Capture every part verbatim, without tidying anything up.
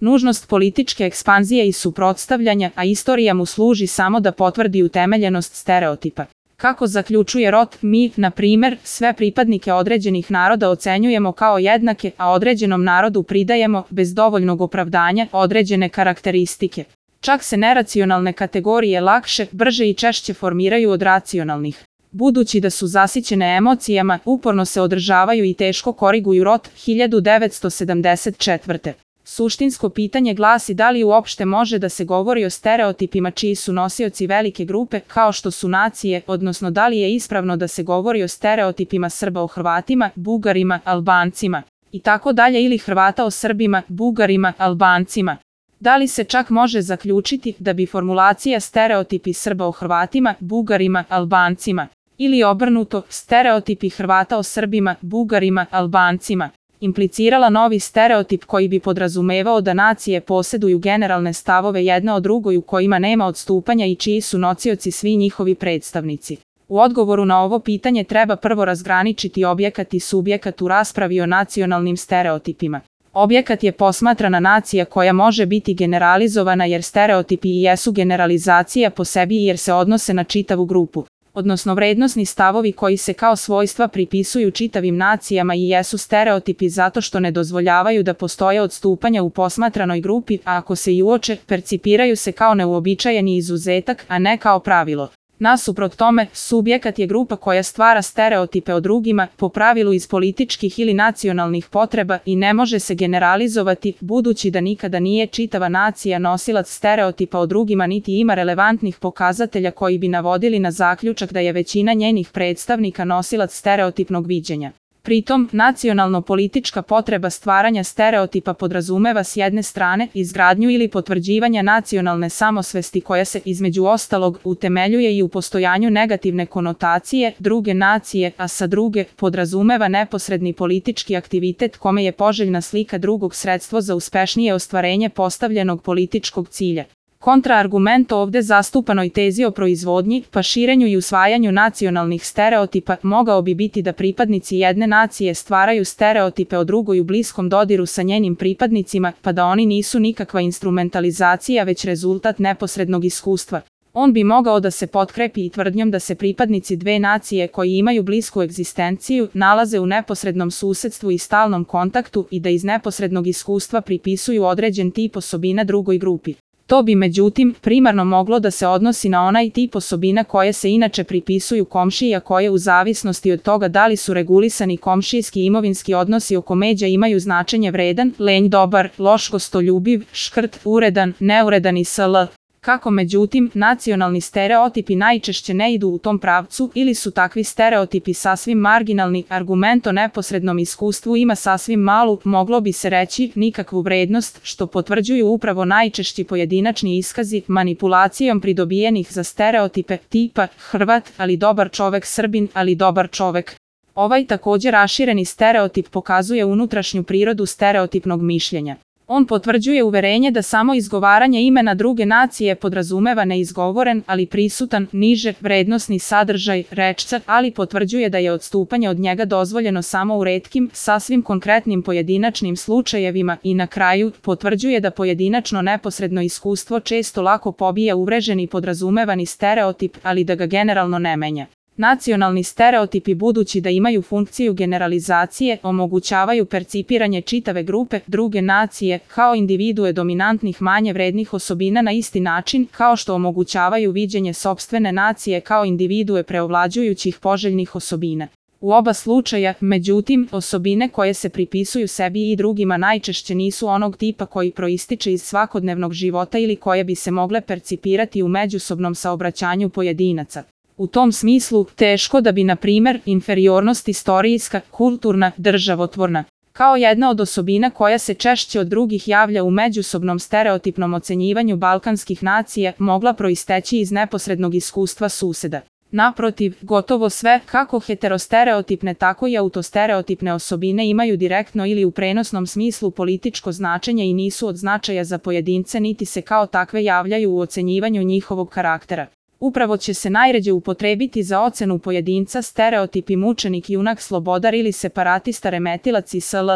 nužnost političke ekspanzije i suprotstavljanja, a istorija mu služi samo da potvrdi utemeljenost stereotipa. Kako zaključuje Roth, mi, na primer, sve pripadnike određenih naroda ocenjujemo kao jednake, a određenom narodu pridajemo, bez dovoljnog opravdanja, određene karakteristike. Čak se neracionalne kategorije lakše, brže i češće formiraju od racionalnih. Budući da su zasićene emocijama, uporno se održavaju i teško koriguju. Roth, hiljadu devetsto sedamdeset četvrte. Suštinsko pitanje glasi da li uopšte može da se govori o stereotipima čiji su nosioci velike grupe, kao što su nacije, odnosno da li je ispravno da se govori o stereotipima Srba o Hrvatima, Bugarima, Albancima i tako dalje, ili Hrvata o Srbima, Bugarima, Albancima. Da li se čak može zaključiti da bi formulacija stereotipi Srba o Hrvatima, Bugarima, Albancima ili obrnuto stereotipi Hrvata o Srbima, Bugarima, Albancima implicirala novi stereotip koji bi podrazumevao da nacije posjeduju generalne stavove jedna o drugoj u kojima nema odstupanja i čiji su nosioci svi njihovi predstavnici? U odgovoru na ovo pitanje treba prvo razgraničiti objekat i subjekat u raspravi o nacionalnim stereotipima. Objekat je posmatrana nacija koja može biti generalizovana jer stereotipi i jesu generalizacija po sebi jer se odnose na čitavu grupu, odnosno vrednosni stavovi koji se kao svojstva pripisuju čitavim nacijama i jesu stereotipi zato što ne dozvoljavaju da postoje odstupanja u posmatranoj grupi, a ako se i uoče, percipiraju se kao neuobičajeni izuzetak, a ne kao pravilo. Nasuprot tome, subjekat je grupa koja stvara stereotipe o drugima, po pravilu iz političkih ili nacionalnih potreba i ne može se generalizovati, budući da nikada nije čitava nacija nosilac stereotipa o drugima niti ima relevantnih pokazatelja koji bi navodili na zaključak da je većina njenih predstavnika nosilac stereotipnog viđenja. Pritom, nacionalno-politička potreba stvaranja stereotipa podrazumeva s jedne strane izgradnju ili potvrđivanja nacionalne samosvesti koja se, između ostalog, utemeljuje i u postojanju negativne konotacije druge nacije, a sa druge, podrazumeva neposredni politički aktivitet kome je poželjna slika drugog sredstvo za uspešnije ostvarenje postavljenog političkog cilja. Kontraargument ovde zastupanoj tezi o proizvodnji, pa širenju i usvajanju nacionalnih stereotipa mogao bi biti da pripadnici jedne nacije stvaraju stereotipe o drugoj u bliskom dodiru sa njenim pripadnicima, pa da oni nisu nikakva instrumentalizacija već rezultat neposrednog iskustva. On bi mogao da se potkrepi i tvrdnjom da se pripadnici dve nacije koji imaju blisku egzistenciju nalaze u neposrednom susedstvu i stalnom kontaktu i da iz neposrednog iskustva pripisuju određen tip osobina drugoj grupi. To bi međutim primarno moglo da se odnosi na onaj tip osobina koje se inače pripisuju komšiji, a koje u zavisnosti od toga da li su regulisani komšijski imovinski odnosi oko međa imaju značenje vredan, lenj, dobar, loš, gostoljubiv, škrt, uredan, neuredan i sl. Kako međutim, nacionalni stereotipi najčešće ne idu u tom pravcu ili su takvi stereotipi sasvim marginalni, argument o neposrednom iskustvu ima sasvim malu, moglo bi se reći, nikakvu vrednost, što potvrđuju upravo najčešći pojedinačni iskazi manipulacijom pridobijenih za stereotipe tipa Hrvat, ali dobar čovek, Srbin, ali dobar čovek. Ovaj također rašireni stereotip pokazuje unutrašnju prirodu stereotipnog mišljenja. On potvrđuje uverenje da samo izgovaranje imena druge nacije podrazumeva neizgovoren, ali prisutan, niže, vrednosni sadržaj rečca, ali potvrđuje da je odstupanje od njega dozvoljeno samo u retkim, sasvim konkretnim pojedinačnim slučajevima i na kraju potvrđuje da pojedinačno neposredno iskustvo često lako pobija uvreženi podrazumevani stereotip, ali da ga generalno ne menja. Nacionalni stereotipi, budući da imaju funkciju generalizacije, omogućavaju percipiranje čitave grupe druge nacije kao individue dominantnih manje vrednih osobina na isti način kao što omogućavaju viđenje sopstvene nacije kao individue preovlađujućih poželjnih osobina. U oba slučaja, međutim, osobine koje se pripisuju sebi i drugima najčešće nisu onog tipa koji proističe iz svakodnevnog života ili koje bi se mogle percipirati u međusobnom saobraćanju pojedinaca. U tom smislu, teško da bi, na primer, inferiornost istorijska, kulturna, državotvorna, kao jedna od osobina koja se češće od drugih javlja u međusobnom stereotipnom ocenjivanju balkanskih nacija, mogla proisteći iz neposrednog iskustva suseda. Naprotiv, gotovo sve, kako heterostereotipne tako i autostereotipne osobine imaju direktno ili u prenosnom smislu političko značenje i nisu od značaja za pojedince niti se kao takve javljaju u ocenjivanju njihovog karaktera. Upravo će se najređe upotrebiti za ocenu pojedinca stereotipi mučenik, junak, slobodar ili separatista, remetilac i sl.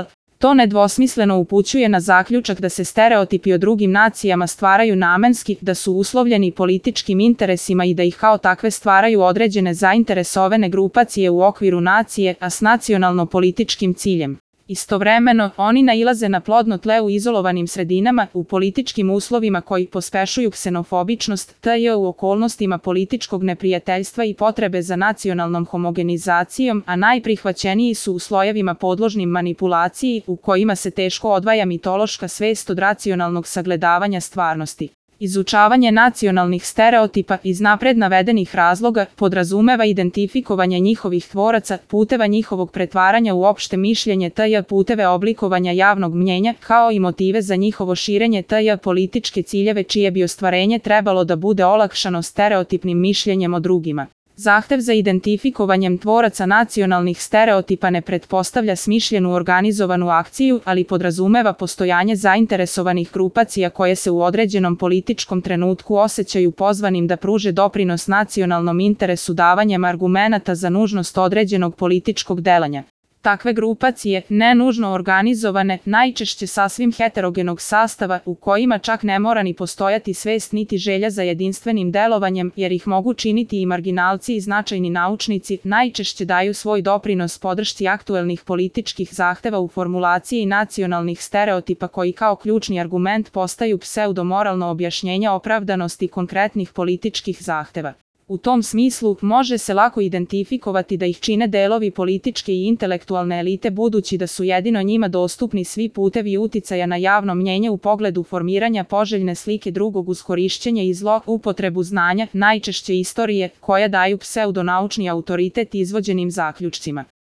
To nedvosmisleno upućuje na zaključak da se stereotipi o drugim nacijama stvaraju namenski, da su uslovljeni političkim interesima i da ih kao takve stvaraju određene zainteresovane grupacije u okviru nacije, a s nacionalno-političkim ciljem. Istovremeno, oni nailaze na plodno tle u izolovanim sredinama, u političkim uslovima koji pospešuju ksenofobičnost, tj. u okolnostima političkog neprijateljstva i potrebe za nacionalnom homogenizacijom, a najprihvaćeniji su u slojevima podložnim manipulaciji, u kojima se teško odvaja mitološka svest od racionalnog sagledavanja stvarnosti. Izučavanje nacionalnih stereotipa iz napred navedenih razloga podrazumeva identifikovanje njihovih tvoraca, puteva njihovog pretvaranja u opšte mišljenje tj. puteve oblikovanja javnog mnjenja, kao i motive za njihovo širenje tj. političke ciljeve čije bi ostvarenje trebalo da bude olakšano stereotipnim mišljenjem o drugima. Zahtev za identifikovanjem tvoraca nacionalnih stereotipa ne pretpostavlja smišljenu organizovanu akciju, ali podrazumeva postojanje zainteresovanih grupacija koje se u određenom političkom trenutku osjećaju pozvanim da pruže doprinos nacionalnom interesu davanjem argumenata za nužnost određenog političkog delanja. Takve grupacije, ne nužno organizovane, najčešće sasvim heterogenog sastava, u kojima čak ne mora ni postojati svest niti želja za jedinstvenim delovanjem, jer ih mogu činiti i marginalci i značajni naučnici, najčešće daju svoj doprinos podršci aktuelnih političkih zahteva u formulaciji nacionalnih stereotipa koji kao ključni argument postaju pseudomoralno objašnjenje opravdanosti konkretnih političkih zahteva. U tom smislu, može se lako identifikovati da ih čine delovi političke i intelektualne elite budući da su jedino njima dostupni svi putevi uticaja na javno mnjenje u pogledu formiranja poželjne slike drugog uz korišćenje i zloupotrebu znanja, najčešće istorije, koja daju pseudonaučni autoritet izvođenim zaključcima.